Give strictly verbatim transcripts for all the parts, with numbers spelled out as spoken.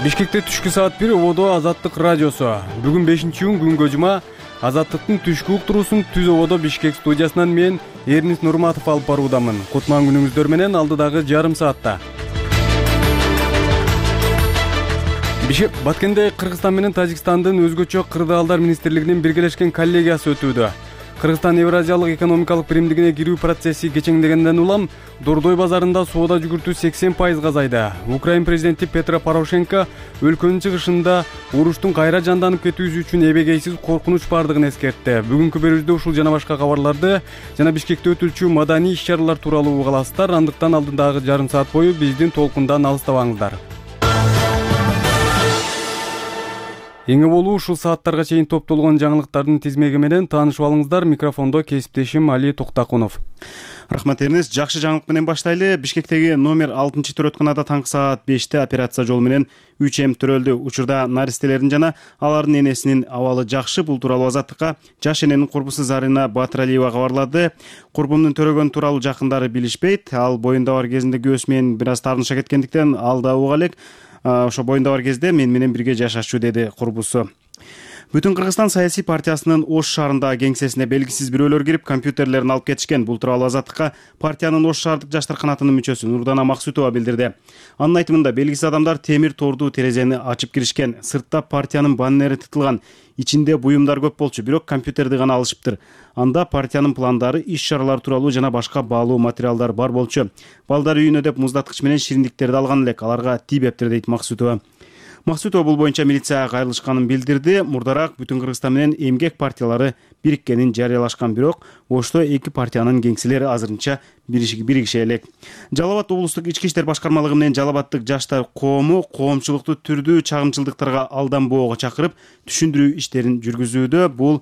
Бишкекте түшкү саат бир ободо Азаттык радиосу. Бүгүн бешинчи июнь күнгө жума. Азаттыктын түшкү уктуруусун Түз ободо Бишкек студиясынан мен Эрнис Нурматов алып баруудамын. Кутман күнүңүздөр менен алдыдагы жарым саатта. Бишкек Баткенде Кыргызстан менен Тажикстандын өзгөчө кырдаалдар министрлигинин биргелешкен коллегиясы өтүүдө. Кыргызстан Евразиялык экономикалык биримдигине кирүү процесси кечеңдегенден улам Дордой базарында соода жүгүртүү сексен пайызга азайды. Украин президенти Петро Порошенко өлкөнүн чыгышында уруштун кайра жанданып кетүүсү үчүн эбегейсиз коркунуч бардыгын эскертти. Бүгүнкү берүүбүздө ушул жана башка кабарларды жана Бишкекте өтүлчү маданий иш-чаралар тууралуу уга аласыздар. Андыктан алдындагы жарым саат бою биздин толкундан алыстабаңыздар. Эң болуу ушул сааттарга чейин топтолгон жаңылыктардын тизмеги менен таанышып алыңыздар. Микрофондо кесиптешим Али Токтакунов. Рахмат Эрнис. Жакшы жаңылык менен баштайлы. Бишкектеги номер алтынчы төрөтканада таңкы саат беште операция жолу менен үч эм төрөлдү. Учурда наристелердин жана алардын энесинин абалы жакшы. Бул тууралуу Азаттыкка жаш эненин курбусу Зарина Батыралиева кабарлады. Курбумдун төрөгөнү тууралуу жакындары билишпейт. Ал боюнда бар кезинде күйөөсү менен бир аз таарныша кеткендиктен ал да уга элек. Ошо боюнда бар кезде мен менен бирге жашачу, деди курбусу. Бүтүн Кыргызстан саясий партиясынын Ош шаарындагы кеңсесине белгисиз бирөөлөр кирип компьютерлерин алып кетишкен. Бул тууралуу Азаттыкка партиянын Ош шаардык жаштар канатынын мүчөсү Нурдана Максутова билдирди. Анын айтымында белгисиз адамдар темир тордуу терезени ачып киришкен. Сыртта партиянын баннери тытылган. Ичинде буюмдар көп болчу, бирок компьютерди гана алышыптыр. Анда партиянын пландары, иш-чаралар тууралуу жана башка баалуу материалдар бар болчу. Балдар үйүнө деп муздаткыч менен шириндиктерди алган элек, аларга тийбептир, дейт Максутова. Максутова бул боюнча милицияга кайрылышканын билдирди. Мурдараак Бүтүн Кыргызстан менен эмгек партиялары бириккенин жарыялашкан, бирок Ошто эки партиянын кеңселери азырынча биригише элек. Жалал Абад облустук ички иштер башкармалыгы менен Жалал Абадтык жаштар коому коомчулукту түрдүү чагымчылдыктарга алданбоого чакырып, түшүндүрүү иштерин жүргүзүүдө. Бул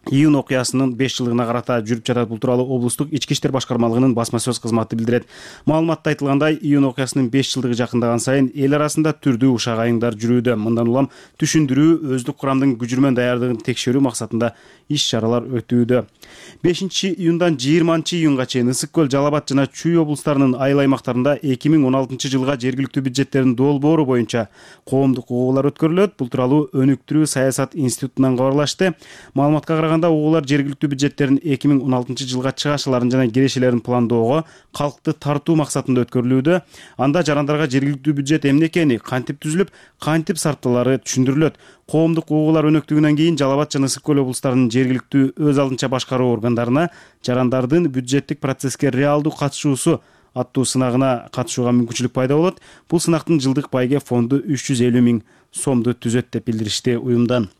июнь окуясынын беш жылдыгына карата жүрүп жатат. Бул тууралуу облустук ички иштер башкармалыгынын басма сөз кызматы билдирет. Маалыматта айтылгандай, июнь окуясынын беш жылдыгы жакындаган сайын эл арасында түрдүү ушак айыңдар жүрүүдө. Мындан улам түшүндүрүү, өздүк курамдын күжүрмөн даярдыгын текшерүү максатында иш-чаралар өтүүдө. бешинчи июндан жыйырманчы июнга чейин Ысык көл, Жалал Абад жана Чүй облустарынын айыл аймактарында эки миң он алтынчы жылга жергиликтүү бюджеттердин долбоору боюнча коомдук угуулар өткөрүлөт. Бул тууралуу Өнүктүрүү саясат институтунан кабарлашты. Маалыматка караганда, угуулар жергиликтүү бюджеттерин эки миң он алтынчы жылга чыгашыларын жана кирешелерин пландоого, калкты тартуу максатында өткөрүлүүдө. Анда жарандарга жергиликтүү бюджет эмне экени, кантип түзүлүп, кантип сарпталары түшүндүрүлөт. Коомдук угуулар өнөктүгүнөн кийин Жалал Абад жана Ысык көл облустарынын жергиликтүү өз алдынча башкаруу органдарына жарандардын бюджеттик процесске реалдуу катышуусу аттуу сынагына катышууга мүмкүнчүлүк пайда болот. Бул сынактын жылдык байге фонду үч жүз элүү миң сомду түзөт деп билдиришти уюмдан.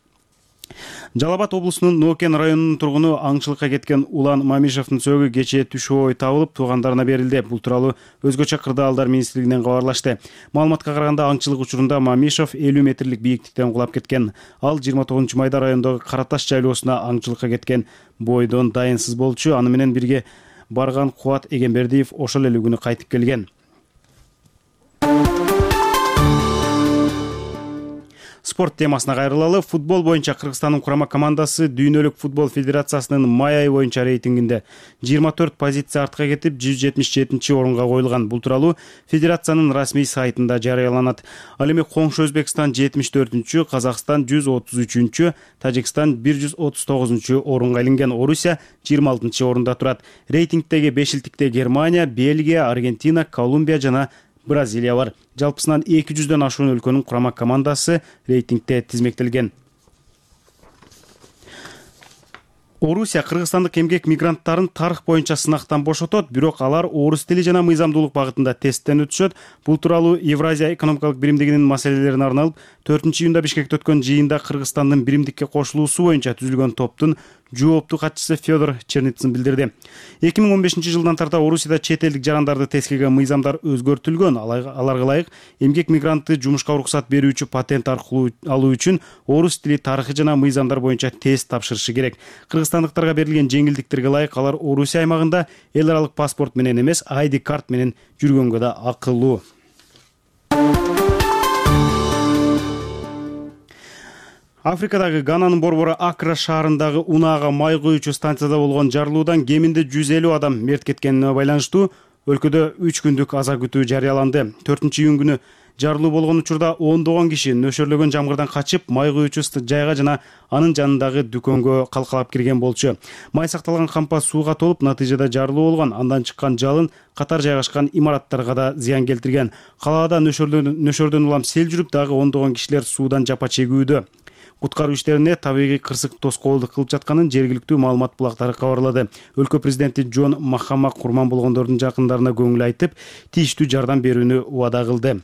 Жалал Абад облусунун Нокен районунун тургуну аңчылыкка кеткен Улан Мамишевдин сөөгү кечээ түш ой табылып туугандарына берилди. Бул тууралуу өзгөчө кырдаалдар министрлигинен кабарлашты. Маалыматка караганда, аңчылык учурунда Мамишев элүү метрлик бийиктиктен кулап кеткен. Ал жыйырма тогузунчу майда райондогу Караташ жайлоосуна аңчылыкка кеткен бойдон дайынсыз болчу. Аны менен бирге барган Кубат Эгембердиев ошол эле күнү кайтып келген. Спорт темасына кайрылалы. Футбол боюнча Кыргызстандын курама командасы Дүйнөлүк футбол федерациясынын май айы боюнча рейтингинде жыйырма төрт позиция артка кетип, жүз жетимиш жетинчи орунга коюлган. Бул тууралуу федерациянын расмий сайтында жарыяланат. Ал эми коңшу Өзбекстан жетимиш төртүнчү, Казакстан жүз отуз үчүнчү, Тажикстан бир жүз отуз тогузунчу орунга илинген. Орусия жыйырма алтынчы орунда турат. Рейтингдеги бешилтикте Германия, Бельгия, Аргентина, Колумбия жана Бразилия бар. Жалпысынан эки жүздөн ашуун өлкөнүн курама командасы рейтингде тизмектелген. Орусия кыргызстандык эмгек мигранттарын тарых боюнча сынактан бошотот, бирок алар орус тили жана мыйзамдуулук багытында тесттен өтүшөт. Бул тууралуу Евразия экономикалык биримдигинин маселелерине арналып төртүнчү июнда Бишкекте өткөн жыйында Кыргызстандын биримдикке кошулуусу боюнча түзүлгөн топтун жооптуу катчысы Федор Черницын билдирди. эки миң он бешинчи жылдан тарта Орусияда чет элдик жарандарды тескеге мыйзамдар өзгөртүлгөн. Аларга ылайык эмгек мигрантты жумушка уруксат берүүчү патент аркылуу алуу үчүн орус тили, тарыхы жана мыйзамдар боюнча тест тапшырышы керек. Кыргызстандыктарга берилген жеңилдиктерге ылайык алар Орусия аймагында эл аралык паспорт менен эмес, ай ди карт менен жүргөнгө да акылуу. Африкадагы Гананын борбору Акра шаарындагы унаага май коюучу станцияда болгон жарылуудан кеминде жүз элүү адам мерт кеткенине байланыштуу өлкөдө үч күндүк аза күтүү жарыяланды. төртүнчү июнь күнү жарылуу болгон учурда ондогон киши нөшөрлөгөн жамгырдан качып, май куючу жайга жана анын жанындагы дүкөнгө калкалап кирген болчу. Май сакталган кампа сууга толуп, натыйжада жарылуу болгон. Андан чыккан жалын катар жайгашкан имараттарга да зыян келтирген. Калаада нөшөрдөн улам сел жүрүп, дагы ондогон кишилер суудан жапа чегүүдө. Куткаруу иштерине табигый кырсык тоскоолдук кылып жатканын жергиликтүү маалымат булактары кабарлады. Өлкө президенти Жон Махама курман болгондордун жакындарына көңүл айтып, тийиштүү жардам берүүнү убада кылды.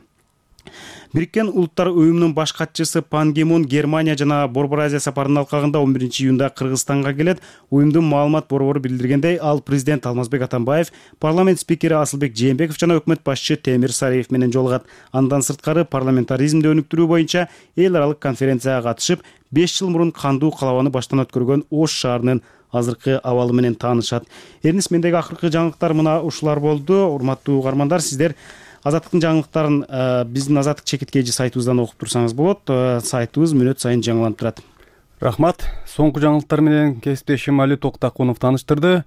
Бириккен Улуттар уюмунун баш катчысы Пан Ги Мун Германия жана Борбор Азия сапарынын алкагында он биринчи июнда Кыргызстанга келет. Уюмдун маалымат борбору билдиргендей, ал президент Алмазбек Атамбаев, парламент спикери Асылбек Жээнбеков жана өкмөт башчы Темир Сариев менен жолугат. Андан сырткары парламентаризмди өнүктүрүү боюнча эл аралык конференцияга катышып, беш жыл мурун кандуу калабаны баштан өткөргөн Ош шаарынын азыркы абалы менен таанышат. Эрнис, мендеги акыркы жаңылыктар мына ушулар болду. Урматтуу угармандар, сиздер Азаттыктын жаңылыктарын биздин Азаттык чекит кей жи сайтыбыздан окуп турсаңыз болот. Сайтыбыз мүнөт сайын жаңыланып турат. Рахмат. Соңку жаңылыктар менен кесиптешим Али Токтакунов тааныштырды.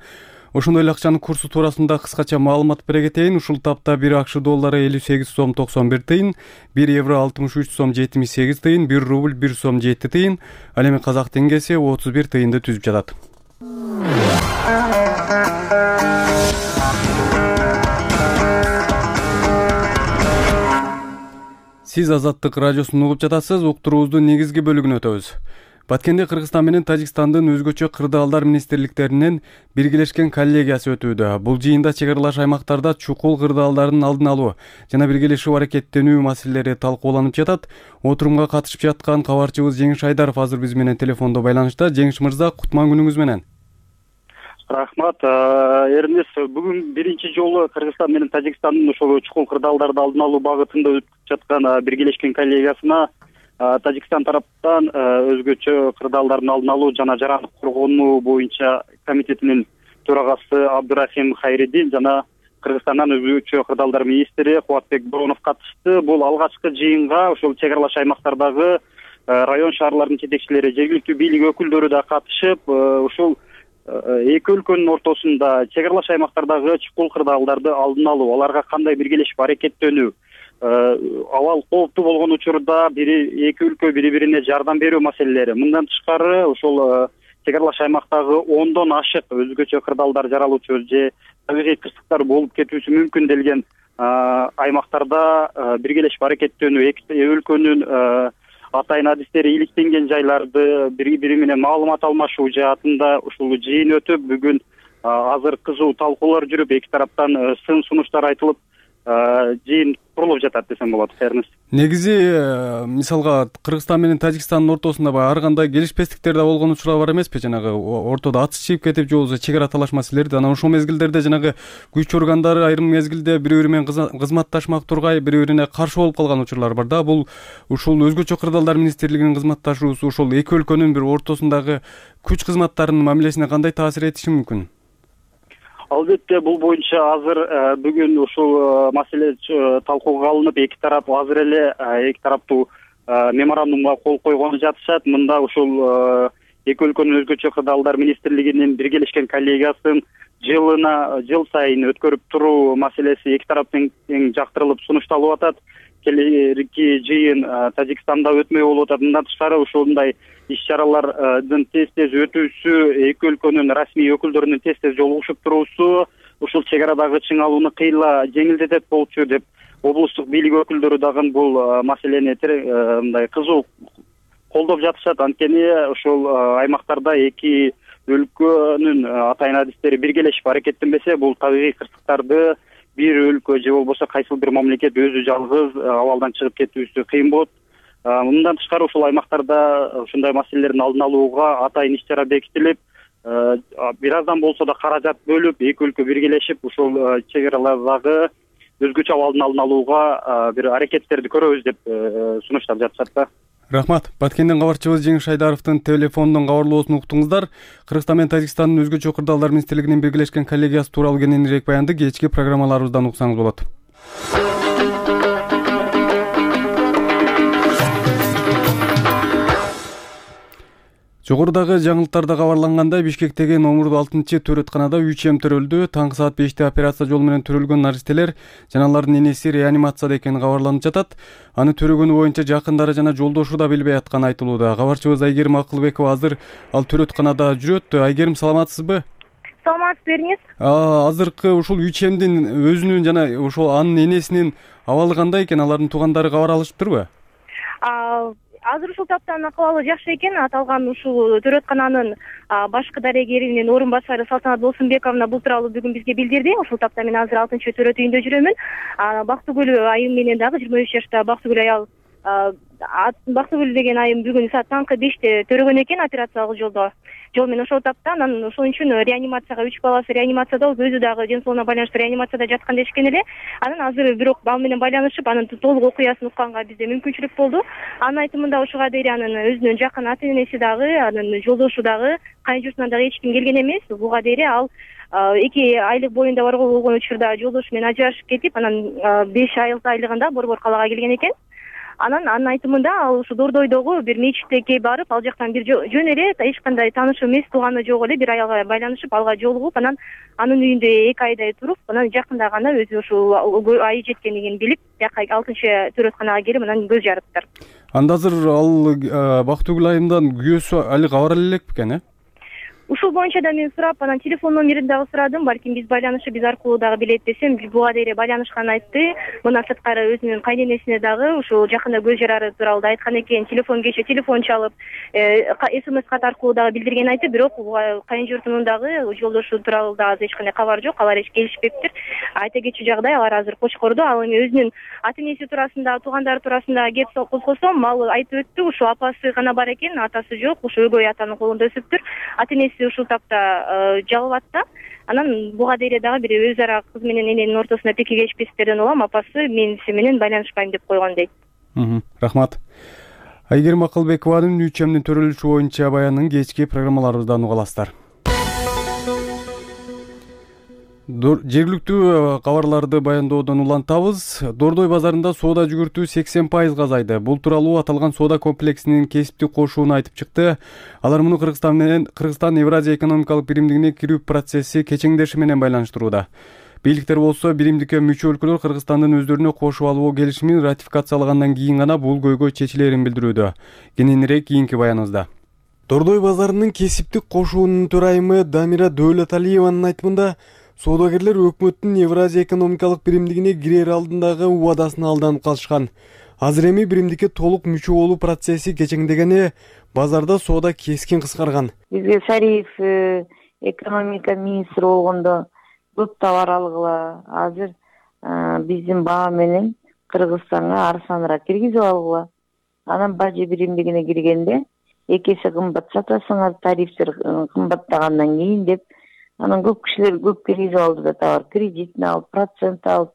Ошондой эле акчанын курсу туурасында кыскача маалымат бере кетейин. Ушул тапта бир акш доллары элүү сегиз сом токсон бир тыйын, бир евро алтымыш үч сом жетимиш сегиз тыйын, бир рубль бир сом жети тыйын, ал эми казак теңгеси отуз бир тыйынды түзүп жатат. Сиз Азаттык радиосун угуп жатасыз. Уктуруубуздун негизги бөлүгүнө өтөбүз. Баткенде Кыргызстан менен Тажикстандын өзгөчө кырдаалдар министрликтеринин биргелешкен коллегиясы өтүүдө. Бул жыйында чек аралаш аймактарда чукул кырдаалдардын алдын алуу жана биргелешип аракеттенүү маселелери талкууланып жатат. Отурумга катышып жаткан кабарчыбыз Жеңиш Айдаров азыр биз менен телефондо байланышта. Жеңиш мырза, кутман күнүңүз менен. Рахмат. Эрнис, бүгүн биринчи жолу Кыргызстан менен Тажикстандын ошол чукул кырдаалдарды алдын алуу багытында өтүп жаткан биргелешкен коллегиясына Тажикстан тараптан өзгөчө кырдаалдардын алдын алуу жана жарандык коргонуу боюнча комитетинин төрагасы Абдурахим Хайридин жана Кыргызстандан өзгөчө кырдаалдар министри Кубатбек Боронов катышты. Бул алгачкы жыйынга ошол чек аралаш аймактардагы район шаарлардын жетекчилери, жергиликтүү бийлик өкүлдөрү да катышып, ошол эки өлкөнүн ортосунда чек аралаш аймактардагы чукул кырдаалдарды алдын алуу, аларга кандай биргелешип аракеттенүү, абал кооптуу болгон учурда бири эки өлкө бири-бирине жардам берүү маселелери. Мындан тышкары ошол чек аралаш аймактагы ондон ашык өзгөчө кырдаалдар жаралуучу же табигый кырсыктар болуп кетүүсү мүмкүн делген аймактарда биргелешип аракеттенүү, эки өлкөнүн атайын адистери иликтенген жайларды бири-бири менен маалымат алмашуу жаатында ушул жыйын өтүп, бүгүн азыр кызуу талкуулар жүрүп, эки тараптан сын сунуштар айтылып, жыйын курулуп жатат десем болот. Эрнис, негизи мисалга Кыргызстан менен Тажикстандын ортосунда ар кандай келишпестиктер да болгон учурлар бар эмеспи? Жанагы ортодо атыс чыгып кетип же болбосо чек ара талаш маселелери. Анан ошол мезгилдерде жанагы күч органдары айрым мезгилде бири-бири менен кызматташмак тургай, бири-бирине каршы болуп калган учурлар бар да. Бул ушул өзгөчө кырдаалдар министрлигинин кызматташуусу ушул эки өлкөнүн бир ортосундагы күч кызматтарынын мамилесине кандай таасир этиши мүмкүн? Албетте, бул боюнча азыр бүгүн ушул маселе талкууга алынып, эки тарап азыр эле эки тараптуу меморандумга кол койгону жатышат. Мында ушул эки өлкөнүн өзгөчө кырдаалдар министрлигинин биргелешкен коллегиясын жылына жыл сайын өткөрүп туруу маселеси эки тараптын тең жактырылып сунушталып атат. Келерки жыйын Тажикстанда өтмөй болуп атат. Мындан тышкары ушундай иш-чаралардын тез-тез өтүүсү, эки өлкөнүн расмий өкүлдөрүнүн тез-тез жолугушуп туруусу ушул чек арадагы чыңалууну кыйла жеңилдетет болчу деп облустук бийлик өкүлдөрү дагы бул маселени мындай кызуу колдоп жатышат. Анткени ушул аймактарда эки өлкөнүн атайын адистери биргелешип аракеттенбесе, бул табигый кырсыктарды бир өлкө же болбосо кайсыл бир мамлекет өзү жалгыз абалдан чыгып кетүүсү кыйын болот. Мындан тышкары ушул аймактарда ушундай маселелердин алдын алууга атайын иш-чара бекитилип, бир аздан болсо да каражат бөлүп, эки өлкө биргелешип ушул чек аралардагы өзгөчө абалдын алдын алууга бир аракеттерди көрөбүз деп сунуштап жатышат да. Рахмат. Баткенден кабарчыбыз Жеңиш Айдаровдун телефондон кабарлоосун уктуңуздар. Кыргызстан менен Тажикстандын өзгөчө кырдаалдар министрлигинин биргелешкен коллегиясы тууралуу кененирээк баянды кечки программаларыбыздан уксаңыз болот. Жогорудагы жаңылыктарда кабарлангандай, Бишкектеги номурдуу алтынчы төрөтканада үч эм төрөлдү. Таңкы саат беште операция жолу менен төрөлгөн наристелер жана алардын энеси реанимацияда экени кабарланып жатат. Аны төрөгөнү боюнча жакындары жана жолдошу да билбей атканы айтылууда. Кабарчыбыз Айгерим Акылбекова азыр ал төрөтканада жүрөт. Айгерим, саламатсызбы? Саламатсыз бериңиз. Азыркы ушул үч эмдин өзүнүн жана ошол анын энесинин абалы кандай экен? Алардын туугандары кабар алышыптырбы? Азыр ушул таптан акыбалы жакшы экен. Аталган ушул төрөткананын башкы дарегеринин орун басары Салтанат Болсунбековна бул тууралуу бүгүн бизге билдирди. Ушул тапта мен азыр алтынчы төрөт үйүндө жүрөмүн. Бактыгүл айым менен дагы жыйырма үч жаштагы Бактыгүл аял Бактыгүл деген айым бүгүн саат таңкы беште төрөгөн экен операциялык жолдо. Жол менен ошол тапта анан ошон үчүн реанимацияга үч баласы реанимацияда, өзү дагы ден соолугуна байланыштуу реанимацияда жаткан дешкен эле. Анан азыр бирок ал менен байланышып, анын толук окуясын укканга бизде мүмкүнчүлүк болду. Анын айтымында ушуга дейин анын өзүнүн жакын ата энеси дагы, анын жолдошу дагы, кайын журтунан дагы эч ким келген эмес. Буга дейин ал эки айлык боюнда бар болгон учурда жолдошу менен ажырашып кетип, анан беш айлыгында Борбор калаага келген экен. Анан анын айтымында ал ушу Дордойдогу бир мечитке барып, ал жактан бир жөн эле эч кандай таанышы эмес, тууганы жок эле бир аялга байланышып, алга жолугуп, анан анын үйүндө эки айдай туруп, анан жакында гана өзү ушул айы жеткендигин билип, жака алтынчы төрөтканага келип, анан көз жарыптыр. Анда азыр ал Бактыгүл айымдан күйөөсү али кабар але элек бекен, э? Ушул боюнча да мен сурап, анан телефон номерин дагы сурадым. Балким биз байланышып, биз аркылуу дагы билет десем, буга дейин байланышканын айтты. Мына сырткары өзүнүн кайненесине дагы ушул жакында көз жарары тууралуу айткан экен. Телефон кече телефон чалып, смс кат аркылуу дагы билдирген айтты. Бирок кайын журтунун дагы жолдошу тууралуу да эч кандай кабар жок. Алар эч келишпептир. Айта кетчү жагдай, алар азыр Кочкордо. Ал эми өзүнүн ата энеси туурасында, туугандары туурасында кеп козгосом, ал айтып өттү. Ушул апасы гана бар экен, атасы жок. Ушул өгөй атанын колунда өсүптүр. Ата энеси ушул тапта жалбат да. Анан буга дейин дагы бир өз ара кыз менен эненин ортосунда пеки кечпестерден улам апасы мен сени менен байланышпайм деп койгон дейт. Рахмат. Айгерим Акылбекованын үч эмдин төрөлүшү боюнча баянын кечки программаларыбыздан уга аласыздар. Жергиликтүү кабарларды баяндоодон улантабыз. Дордой базарында соода жүгүртүү сексен пайызга азайды. Бул тууралуу аталган соода комплексинин кесиптик кошууну айтып чыкты. Алар муну Кыргызстан менен Кыргызстан Евразия экономикалык биримдигине кирүү процесси кечеңдеши менен байланыштырууда. Бийликтер болсо биримдикке мүчө өлкөлөр Кыргызстандын өздөрүнө кошуп алуу келишимин ратификациялагандан кийин гана бул көйгөй чечилерин билдирүүдө. Кененирээк кийинки баяныбызда. Дордой базарынын кесиптик кошуунун төрайымы Дамира Дөөлөталиеванын айтымында, соодагерлер өкмөттүн Евразия экономикалык биримдигине кирер алдындагы убадасына алданып калышкан. Азыр эми биримдикке толук мүчө болуу процесси кечеңдегени, базарда соода кескин кыскарган. Бизге Сариев экономика министри болгондо көп товар алгыла. Азыр биздин баа менен Кыргызстанга арзаныраак киргизип алгыла. Анан бажы биримдигине киргенде эки эсе кымбат сатасыңар, тарифтер кымбаттагандан кийин деп, анан көп кишилер көп киргизип алды да товар, кредитин алып, процент алып,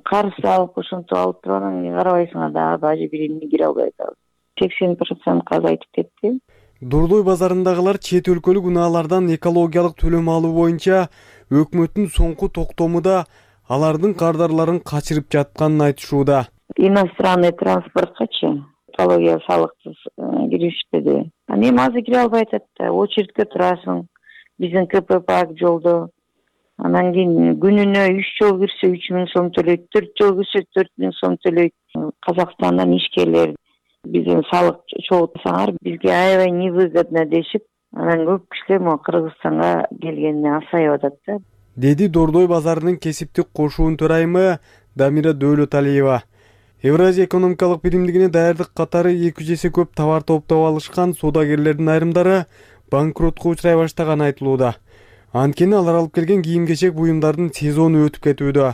карыз алып, ошентип алып туруп, анан карабайсыңар дагы бажы биримине кире албай атабыз. сексен процентке азайтып кетти. Дордой базарындагылар чет өлкөлүк унаалардан экологиялык төлөм алуу боюнча өкмөттүн соңку токтомуда алардын кардарларын качырып жатканын айтышууда. Иностранный транспорткачы экология салыксыз киришпеди. Анан эми азыр кире албай атат да, очередке турасың. Биздин КПП жолдо. Анан кийин күнүнө үч жол кирсе үч миң сом төлөйт, төрт жол кирсе төрт миң сом төлөйт. Казакстандан ишкерлер биздин салык чогултсаңар, бизге аябай невыгодно дешип, анан көп кишилер могу Кыргызстанга келгенине асайып атат да. Деди Дордой базарынын кесиптик кошуун төрайымы Дамира Дөөлөталиева. Евразия экономикалык биримдигине даярдык катары эки жүз эсе көп товар топтоп алышкан соодагерлердин айрымдары банкротко учурай баштаганы айтылууда. Анткени алар алып келген кийим-кечек буюмдардын сезону өтүп кетүүдө.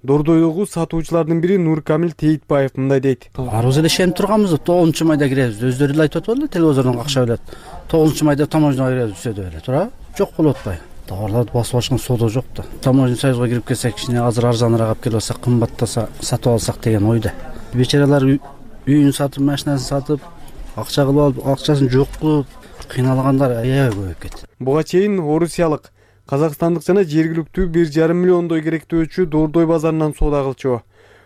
Дордойдогу сатуучулардын бири Нуркамил Тейтбаев мындай дейт. Арыбыз эле ишенип турганбыз, тогузунчу майда киребиз. Өздөрү эле айтып атпадылы, телевизордон какша билет. тогузунчу майда таможняга киребиз десе эле, туура? Жок болуп атпайбы? Товарларды басып алышкан соода жок да. Таможня союзга кирип келсек, кичине азыр арзаныраак алып келип алсак, кымбаттаса сатып алсак деген ойдо. Бечаралар үйүн сатып, машинасын сатып, акча кылып алып, акчасын жок кылып кыйналгандар аябай көбөйүп кетти. Буга чейин орусиялык, казакстандык жана жергиликтүү бир жарым миллиондой керектөөчү Дордой базарынан соода кылчу.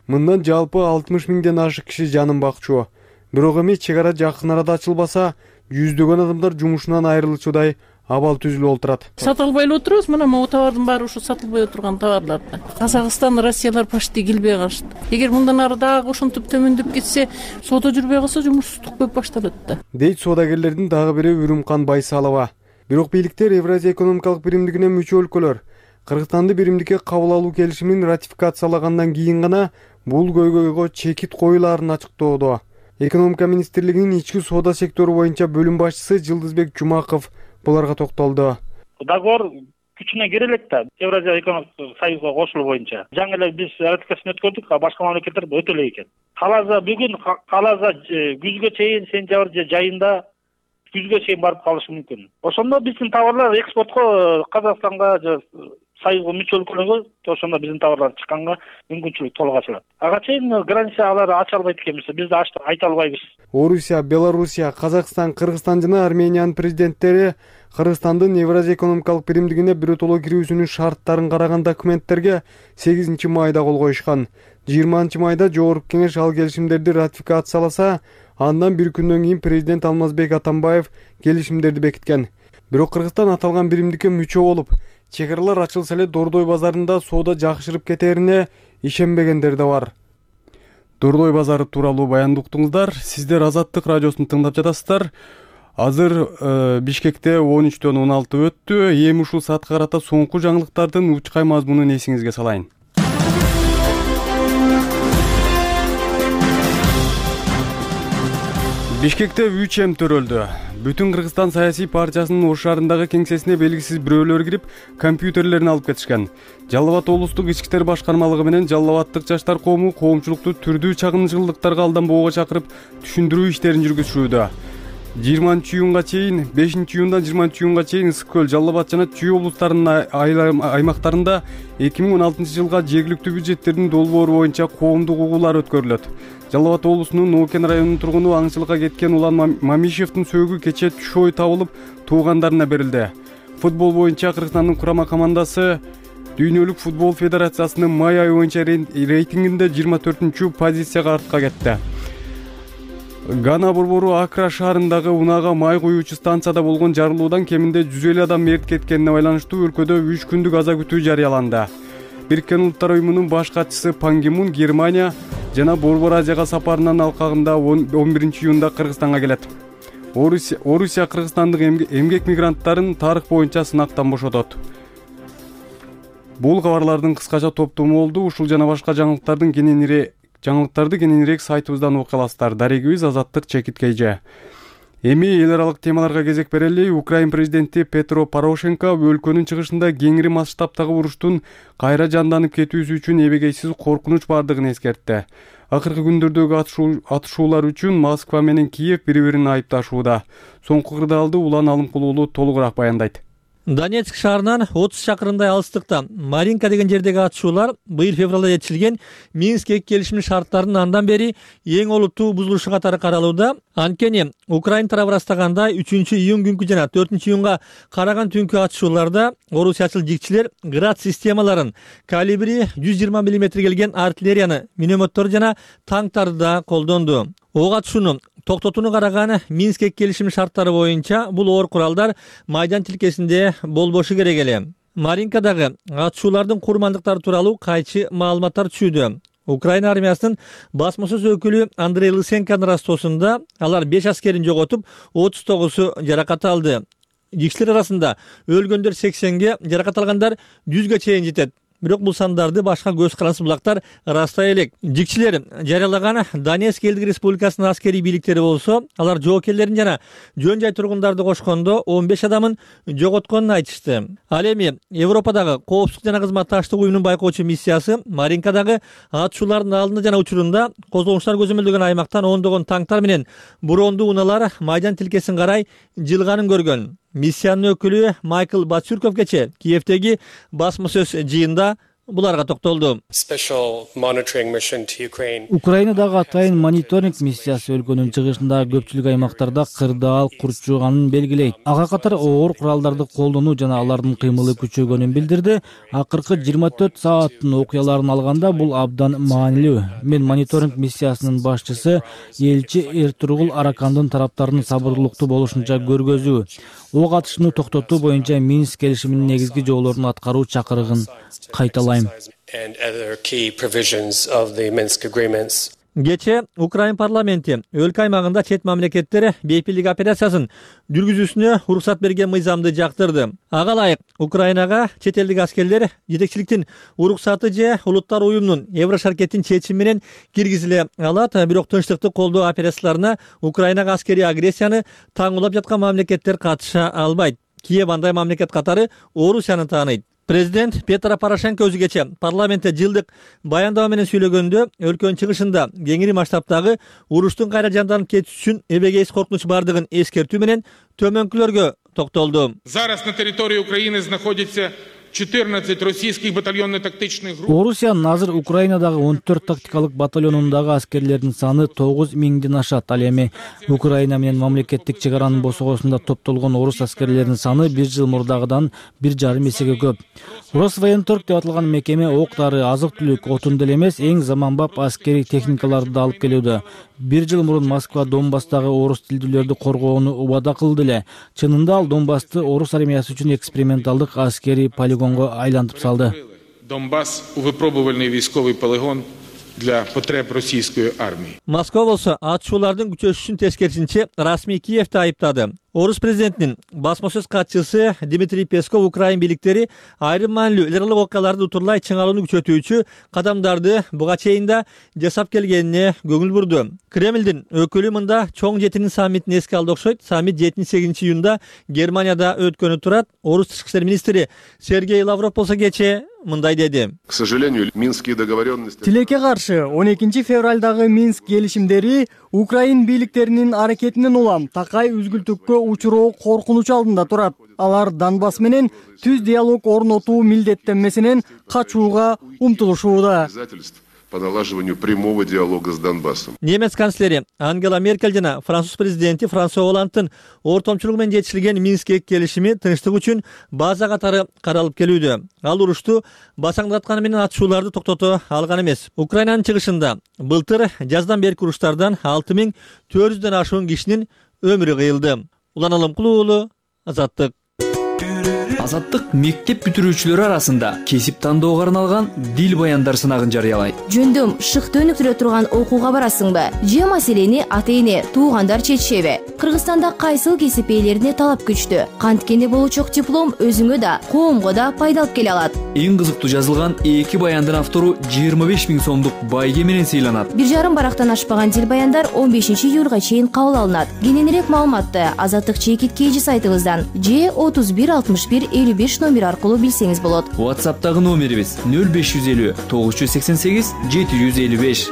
Мындан жалпы алтымыш миңден ашык киши жанын бакчу. Бирок эми чек ара жакын арада ачылбаса, жүздөгөн адамдар жумушунан айрылуучудай абал түзүлүп отурат. Сата албай эле отурабыз. Мына могу товардын баары ушу сатылбай отурган товарлар. Казакстан, Россиялар почти келбей калышты. Эгер мындан ары дагы ошентип төмөндөп кетсе, соода жүрбөй калса жумушсуздук көп башталат да. Дейт соодагерлердин дагы бири Үрүмкан Байсалова. Бирок бийликтер Евразия экономикалык биримдигине мүчө өлкөлөр Кыргызстанды биримдикке кабыл алуу келишимин ратификациялагандан кийин гана бул көйгөйгө чекит коюлаарын ачыктоодо. Экономика министрлигинин ички соода сектору боюнча бөлүм башчысы Жылдызбек Жумаков буларга токтолду. Договор күчүнө кире элек да, Евразия экономикалык союзга кошулуу боюнча. Жаңы эле биз ратификацияны өткөрдүк, а башка мамлекеттер өтө элек экен. Каласа бүгүн, каласа күзгө чейин, сентябрь жайында күзгө чейин барып калышы мүмкүн. Ошондо биздин товарлар экспортко Казакстанга же союзга мүчө өлкөлөргө, ошондо биздин товарлар чыкканга мүмкүнчүлүк толук ачылат. Ага чейин граница алар ача албайт экенбиз, биз да ачтык айта албайбыз. Орусия, Белоруссия, Казакстан, Кыргызстан жана Армениянын президенттери Кыргызстандын Евразия экономикалык биримдигине биротоло кирүүсүнүн шарттарын караган документтерге сегизинчи майда кол коюшкан. жыйырманчы майда Жогорку Кеңеш ал келишимдерди ратификацияласа, андан бир күндөн кийин президент Алмазбек Атамбаев келишимдерди бекиткен. Бирок Кыргызстан аталган биримдикке мүчө болуп, чек аралар ачылса эле Дордой базарында соода жакшырып кетерине ишенбегендер да бар. Дордой базары тууралуу баянды уктуңуздар. Сиздер Азаттык радиосун тыңдап жатасыздар. Азыр э, Бишкекте он үчтөн он алты өттү. Эми ушул саатка карата соңку жаңылыктардын учкай мазмунун эсиңизге салайын. Бишкекте үч эм төрөлдү. Бүтүн Кыргызстан саясий партиясынын Ош шаарындагы кеңсесине белгисиз бирөөлөр кирип, компьютерлерин алып кетишкен. Жалал Абад облустук ички иштер башкармалыгы менен Жалал Абадтык жаштар коому коомчулукту түрдүү чагымчылыктарга алданбоого чакырып, түшүндүрүү иштерин жүргүзүшүүдө. жыйырманчы июнга чейин, бешинчи июндан жыйырманчы июнга чейин Ысык көл, Жалал Абад жана Чүй облустарынын аймактарында эки миң он алтынчы жылга жергиликтүү бюджеттердин долбоору боюнча коомдук угуулар өткөрүлөт. Жалал Абад облусунун Ноокен районунун тургуну аңчылыкка кеткен Улан Мамишевдин сөөгү кечээ түш ой табылып, туугандарына берилди. Футбол боюнча Кыргызстандын курама командасы Дүйнөлүк футбол федерациясынын май айы боюнча рейтингинде жыйырма төртүнчү позицияга артка кетти. Гана борбору Акра шаарындагы унаага май куюучу станцияда болгон жарылуудан кеминде жүз элүү адам мерт кеткенине байланыштуу өлкөдө үч күндүк аза күтүү жарыяланды. Бириккен Улуттар уюмунун баш катчысы Пан Ги Мун Германия жана Борбор Азияга сапарынын алкагында он биринчи июнда Кыргызстанга келет. Орусия, Орусия Кыргызстандык эмгек мигранттарын тарых боюнча сынактан бошотот. Бул кабарлардын кыскача топтому болду. Ушул жана башка жаңылыктардын кененирээк жаңылыктарды кененирээк сайтыбыздан окуя аласыздар. Дарегибиз Азаттык Чекит Кейже. Эми эл аралык темаларга кезек берели. Украин президенти Петро Порошенко өлкөнүн чыгышында кеңири масштабтагы уруштун кайра жанданып кетүүсү үчүн эбегейсиз коркунуч бардыгын эскертти. Акыркы күндөрдөгү атышуулар үчүн Москва менен Киев бири-бирин айыпташууда. Соңку кырдаалды Улан Алымкулуулу толугураак баяндайт. Донецк шаарынан отуз чакырымдай алыстыкта Маринка деген жердеги атышуулар быйыл февралда жетишилген Минск келишиминин шарттарынын андан бери эң олуттуу бузулушу катары каралууда. Анткени Украин тарабы ырастагандай үчүнчү июнь күнкү жана төртүнчү июнга караган түнкү атышууларда орусиячыл жигчилер град системаларын, калибри жүз жыйырма миллиметр келген артиллерияны, минометтор жана танктарды да колдонду. Ок атышууну токтотууну караган Минск келишиминин шарттары боюнча бул оор куралдар майдан тилкесинде болбошу керек эле. Маринкадагы атышуулардын курмандыктары тууралуу кайчы маалыматтар түшүүдө. Украина армиясынын басма сөз өкүлү Андрей Лысенконун растоосунда алар беш аскерин жоготуп, отуз тогузу жаракат алды. Жигчилер арасында өлгөндөр сексенге, жаракат алгандар жүзгө чейин жетет. Бирок бул сандарды башка көз карансыз булактар ырастай элек. Жигчилер жарыялаган Донецк элдик республикасынын аскерий бийликтери болсо, алар жоокерлерин жана жөн жай тургундарды кошкондо он беш адамын жоготконун айтышты. Ал эми Европадагы коопсуздук жана кызматташтык уюмунун байкоочу миссиясы Маринкадагы атышуулардын алдында жана учурунда козголуштар көзөмөлдөгөн аймактан ондогон танктар менен брондуу унаалар майдан тилкесин карай жылганын көргөн. Миссиянын өкүлү Майкл Бацюрков кече Киевдеги басма сөз жыйында буларга токтолду. Украинадагы атайын мониторинг миссиясы өлкөнүн чыгышындагы көпчүлүк аймактарда кырдаал курчуганын белгилейт. Ага катар оор куралдарды колдонуу жана алардын кыймылы күчөгөнүн билдирди. Акыркы жыйырма төрт сааттын окуяларын алганда бул абдан маанилүү. Мен мониторинг миссиясынын башчысы элчи Эртургул Аракандын тараптарын сабырлыктуу болушунча көргөзүү, ок атышууну токтотуу боюнча Минск келишиминин негизги жоболорун аткаруу чакырыгын кайталайм. Кечээ Украин парламенти өлкө аймагында чет мамлекеттер бейпилдик операциясын жүргүзүүсүнө уруксат берген мыйзамды жактырды. Ага ылайык Украинага чет элдик аскерлер жетекчиликтин уруксаты же Улуттар уюмунун Еврошаркеттин чечими менен киргизиле алат, бирок тынчтыкты колдоо операцияларына Украинага аскерий агрессияны таңуулап жаткан мамлекеттер катыша албайт. Киев андай мамлекет катары Орусияны тааныйт. Президент Петро Порошенко өзү кечээ парламентте жылдык баяндама менен сүйлөгөндө өлкөнүн чыгышында кеңири масштабтагы уруштун кайра жанданып кетиши үчүн эбегейсиз коркунуч бардыгын эскертүү менен төмөнкүлөргө токтолду. Зараз на территории Украины находится четырнадцать российских батальонно-тактичных групп. Орусиянын азыр Украинадагы он төрт тактикалык батальонундагы аскерлердин саны тогуз миңден ашат. Ал эми Украина менен мамлекеттик чек аранын босогосунда топтолгон орус аскерлеринин саны бир жыл мурдагыдан бир жарым эсеге көп. Росвоенторг деп аталган мекеме ок-дары, азык-түлүк, отун деле эмес, эң заманбап аскерий техникаларды да алып келүүдө. Бир жыл мурун Москва Донбасстагы орус тилдүүлөрдү коргоону убада кылды эле. Чынында ал Донбассты орус армиясы үчүн эксперименталдык аскерий полигонго айлантып салды. Донбасс — выпробовальный войсковый полигон для потреб российской армии. Москва болсо атышуулардын күчөшүшүн тескерисинче расмий Киевди айыптады. Орус президентинин басма сөз катчысы Дмитрий Песков Украин бийликтери айрым маанилүү эл аралык окуяларды утурлай чыңалууну күчөтүүчү кадамдарды буга чейин да жасап келгенине көңүл бурду. Кремлдин өкүлү мында чоң жетинин саммитин эске алды окшойт. Саммит жетинчи сегизинчи июнда Германияда өткөнү турат. Орус тышкы иштер министри Сергей Лавров болсо кечээ мындай деди. К сожалению, минские договоренности. Тилекке каршы он экинчи февралдагы Минск келишимдери Украин бийликтеринин аракетинен улам такай үзгүлтүккө учуроо коркунуч алдында турат. Алар Донбасс менен түз диалог орнотуу милдеттенмесинен качууга умтулушууда. По налаживанию прямого диалога с Донбассом. Немец канцлери Ангела Меркель жана француз президенти Франсуа Олландтын ортомчулугу менен жетишилген Минск келишими тынчтык үчүн база катары каралып келүүдө. Ал урушту басаңдатканы менен атышууларды токтото алган эмес. Украинанын чыгышында былтыр жаздан берки уруштардан алты миң төрт жүздөн ашуун кишинин өмүрү кыйылды. Улан Алымкулуу уулу, Азаттык. Азаттык мектеп бүтүрүүчүлөрү арасында кесип тандоого арналган дил баяндар сынагын жарыялайт. Жөндөм шыкты өнүктүрө турган окууга барасыңбы? Же маселени ата-эне, туугандар чечишеби? Кыргызстанда кайсыл кесип ээлерине талап күчтүү. Канткенде болучок диплом өзүңө да, коомго да пайдалып келе алат. Эң кызыктуу жазылган эки баяндын автору жыйырма беш миң сомдук байге менен сыйланат. Бир жарым барактан ашпаган дил баяндар он бешинчи июлга чейин кабыл алынат. Кененирээк маалыматты Азаттык чекит кейжи сайтыбыздан же отуз бир алтымыш бир элүү беш номер аркылуу билсеңиз болот. WhatsApp'тагы номерибиз нөл беш жүз элүү тогуз жүз сексен сегиз жети жүз элүү беш.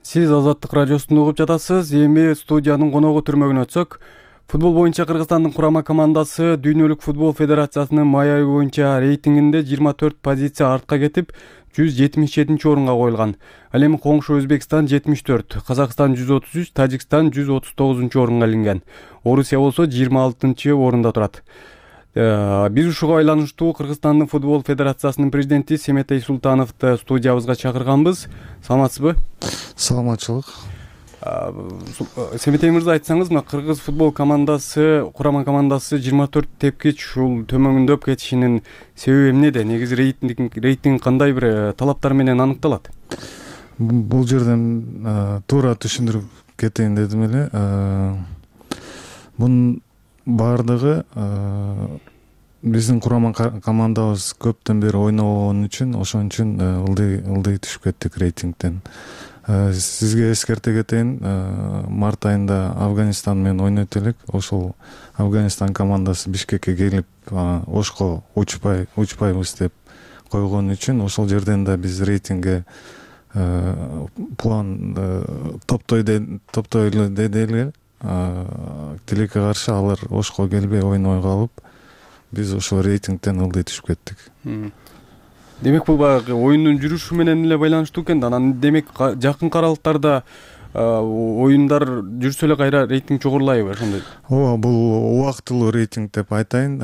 Сиз Азаттык радиосун угуп жатасыз. Эми студиянын коногу түрмөгүнө өтсөк, футбол боюнча Кыргызстандын курама командасы Дүйнөлүк футбол федерациясынын май айы боюнча рейтингинде жыйырма төрт позиция артка кетип, жүз жетимиш жетинчи орунга коюлган. Ал эми коңшу Өзбекстан жетимиш төрт, Казакстан жүз отуз үч, Тажикстан жүз отуз тогузунчу орунга илинген. Орусия болсо жыйырма алтынчы орунда турат. Биз ушуга байланыштуу Кыргызстандын футбол федерациясынын президенти Семетей Султановду студиябызга чакырганбыз. Саламатсызбы? Саламатчылык. Семетей мырза, айтсаңыз, мына кыргыз футбол командасы, курама командасы жыйырма төрт тепкич ушул төмөндөп кетишинин себеби эмнеде? Негизи рейтинг рейтинг кандай бир талаптар менен аныкталат? Бул жерден туура түшүндүрүп кетейин дедим эле. Мунун баардыгы биздин курама командабыз көптөн бери ойногон үчүн, ошон үчүн ылдый ылдый түшүп кеттик рейтингден. Сизге эскерте кетейин, март айында Афганистан менен ойнойт элек. Ошол Афганистан командасы Бишкекке келип, Ошко учпай учпайбыз деп койгон үчүн ошол жерден да биз рейтингге план топтойлу деди эле. Тилекке каршы алар Ошко келбей ойной калып, биз ошол рейтингден ылдый түшүп кеттик. Демек бул баягы оюндун жүрүшү менен эле байланыштуу экен да. Анан демек жакын аралыктарда оюндар жүрсө эле кайра рейтинг жогорулайбы ошондой? ооба, бул убактылуу рейтинг деп айтайын.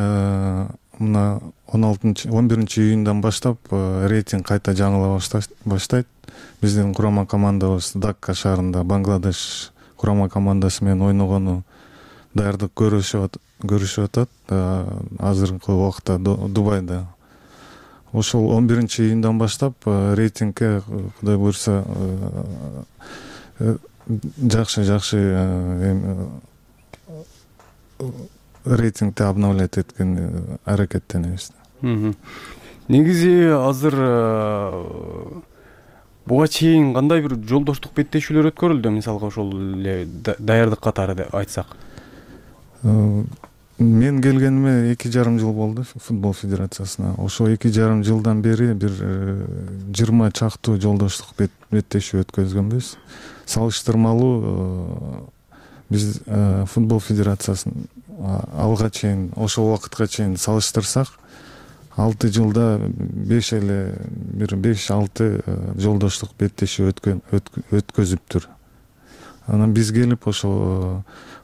Мына он алтынчы он биринчи июндан баштап рейтинг кайта жаңыла баштайт. Биздин курама командабыз Дакка шаарында Бангладеш курама командасы менен ойногону даярдык көрүшүп атат азыркы убакта Дубайда. Ошол он биринчи июндан баштап рейтингге Кудай буйрса жакшы жакшы рейтингди обновлять эткен аракеттенебиз. Негизи азыр буга чейин кандай бир жолдоштук беттешүүлөр өткөрүлдү, мисалга ошол эле даярдык катары айтсак? Мен келгениме эки жарым жыл болду футбол федерациясына. Ошол эки жарым жылдан бери бир жыйырма чактуу жолдоштук беттешүү өткөзгөнбүз. Салыштырмалуу биз футбол федерациясын алга чейин ошол убакытка чейин салыштырсак, алты жылда беш эле бир беш алты жолдоштук беттешүү өткөзүптүр. Анан биз келип ошол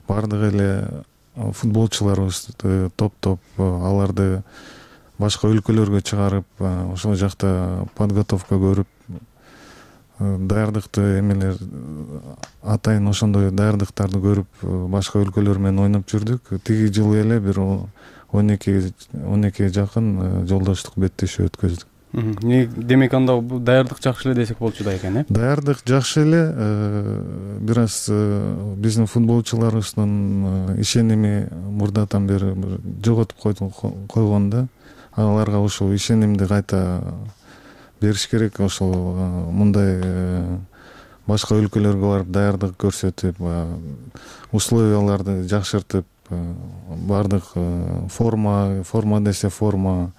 бардык эле футболчуларыбызды топтоп аларды башка өлкөлөргө чыгарып, ошол жакта подготовка көрүп, даярдыкты эмелер атайын ошондой даярдыктарды көрүп башка өлкөлөр менен ойноп жүрдүк. Тиги жылы эле бир он экиге жакын жолдоштук беттешүү өткөздүк. Демек анда даярдык жакшы эле десек болчу да экен, э? Даярдык жакшы эле. Бир аз биздин футболчуларыбыздын ишеними мурдатан бери жоготуп койгон да. Аларга ошол ишенимди кайта бериш керек. Ошол мындай башка өлкөлөргө барып даярдык көрсөтүп, условияларды жакшыртып, бардык форма, форма десе форма,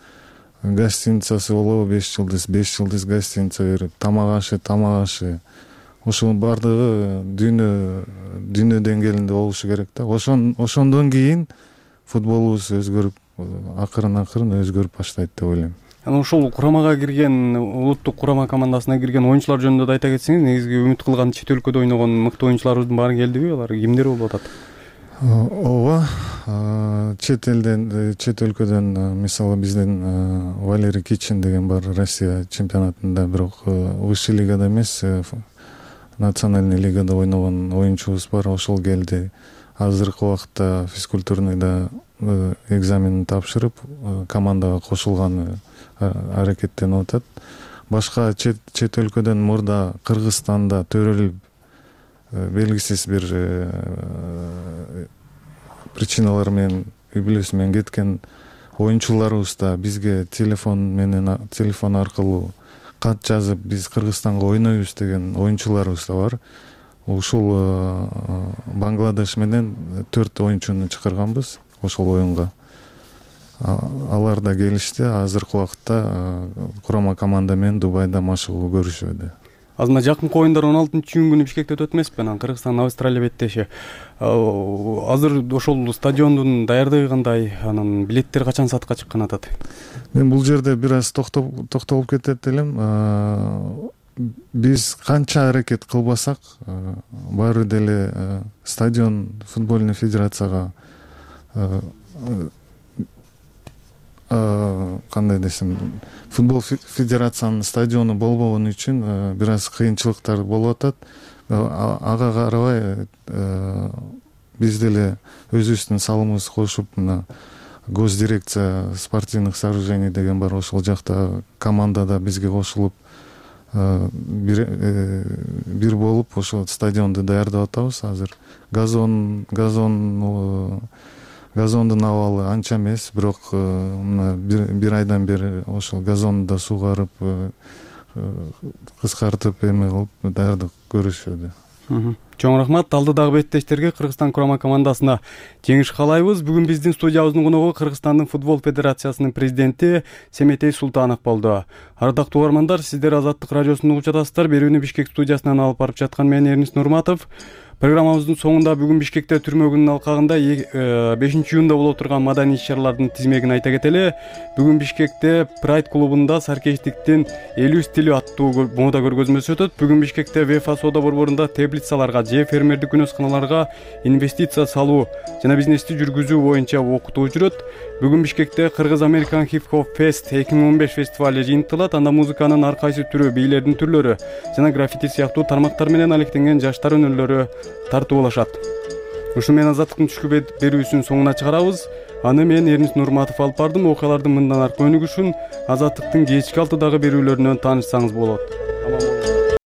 гостиницасы болобу беш жылдыз, беш жылдыз гостиница берип, тамак ашы, тамак ашы. Ошонун бардыгы дүйнө дүйнө деңгээлинде болушу керек да. Ошон ошондон кийин футболубуз өзгөрүп, акырын-акырын өзгөрүп баштайт деп ойлойм. Анан ошол курамага кирген, улуттук курама командасына кирген оюнчулар жөнүндө да айта кетсеңиз, негизги үмүт кылган чет өлкөдө ойногон мыкты оюнчуларыбыздын баары келдиби? Алар кимдер болуп атат? Ооба, чет элден, чет өлкөдөн мисалы биздин Валерий Кичин деген бар, Россия чемпионатында, бирок высший лигада эмес, национальный лигада ойногон оюнчубуз бар, ошол келди. Азыркы убакытта физкультурныйда экзаменин тапшырып, командага кошулганы аракеттенип атат. Башка чет чет өлкөдөн мурда Кыргызстанда төрөлүп белгисиз бир причиналар менен, үй бүлөсү менен кеткен оюнчуларыбыз да бизге телефон менен, телефон аркылуу кат жазып, биз Кыргызстанга ойнойбуз деген оюнчуларыбыз да бар. Ушул Бангладеш менен төрт оюнчуну чакырганбыз ошол оюнга. Алар да келишти. Азыркы убакытта курама команда менен Дубайда машыгуу көрүшүүдө. Азыркы жакынкы оюндар он алтынчы июнь күнү Бишкекте өтөт эмеспи? Анан Кыргызстан Австралия беттеши. Азыр ошол стадиондун даярдыгы кандай? Анан билеттер качан сатка чыккан атат? Мен бул жерде бир аз токтолуп кетет элем. Биз канча аракет кылбасак, баары деле стадион футбольный федерацияга кандай десем, футбол федерациянын стадиону болбогону үчүн бир аз кыйынчылыктар болуп атат. Ага карабай биз деле өзүбүздүн салымыбызды кошуп, мына госдирекция спортивных сооружений деген бар, ошол жакта командада бизге кошулуп бир бир болуп ошол стадионду даярдап атабыз. Азыр газон газон газондун абалы анча эмес, бирок мына бир айдан бери ошол газонду да сугарып, кыскартып эме кылып даярдык көрүшүүдө. Чоң рахмат. Алдыдагы беттештерге, Кыргызстан курама командасына жеңиш каалайбыз. Бүгүн биздин студиябыздын коногу Кыргызстандын футбол федерациясынын президенти Семетей Султанов болду. Ардактуу угармандар, сиздер Азаттык радиосун угуп жатасыздар. Берүүнү Бишкек студиясынан алып барып жаткан мен Эрнис Нурматов. Программабыздын соңунда бүгүн Бишкекте түрмө күнүнүн алкагында бешинчи июнда боло турган маданий иш-чаралардын тизмегин айта кетели. Бүгүн Бишкекте Pride клубунда саркечтиктин элүү стили аттуу мода көргөзмөсү өтөт. Бүгүн Бишкекте ВФА соода борборунда теплицаларга же фермердик күнөсканаларга инвестиция салуу жана бизнести жүргүзүү боюнча окутуу жүрөт. Бүгүн Бишкекте Кыргыз American Hip Hop Fest эки миң он беш фестивали жыйынтыгылат. Анда музыканын ар кайсы түрү, бийлердин түрлөрү жана граффити сыяктуу тармактар менен алектенген жаштар өнөрлөрү тартуу болушат. Ушу менен азаттыктын түшкү берүүсүнүн соңуна чыгарабыз. Аны мен Эрнис Нурматов алып бардым. Окуялардын мындан аркы өнүгүшүн азаттыктын кечки алтыдагы берүүлөрүнөн таанышсаңыз болот.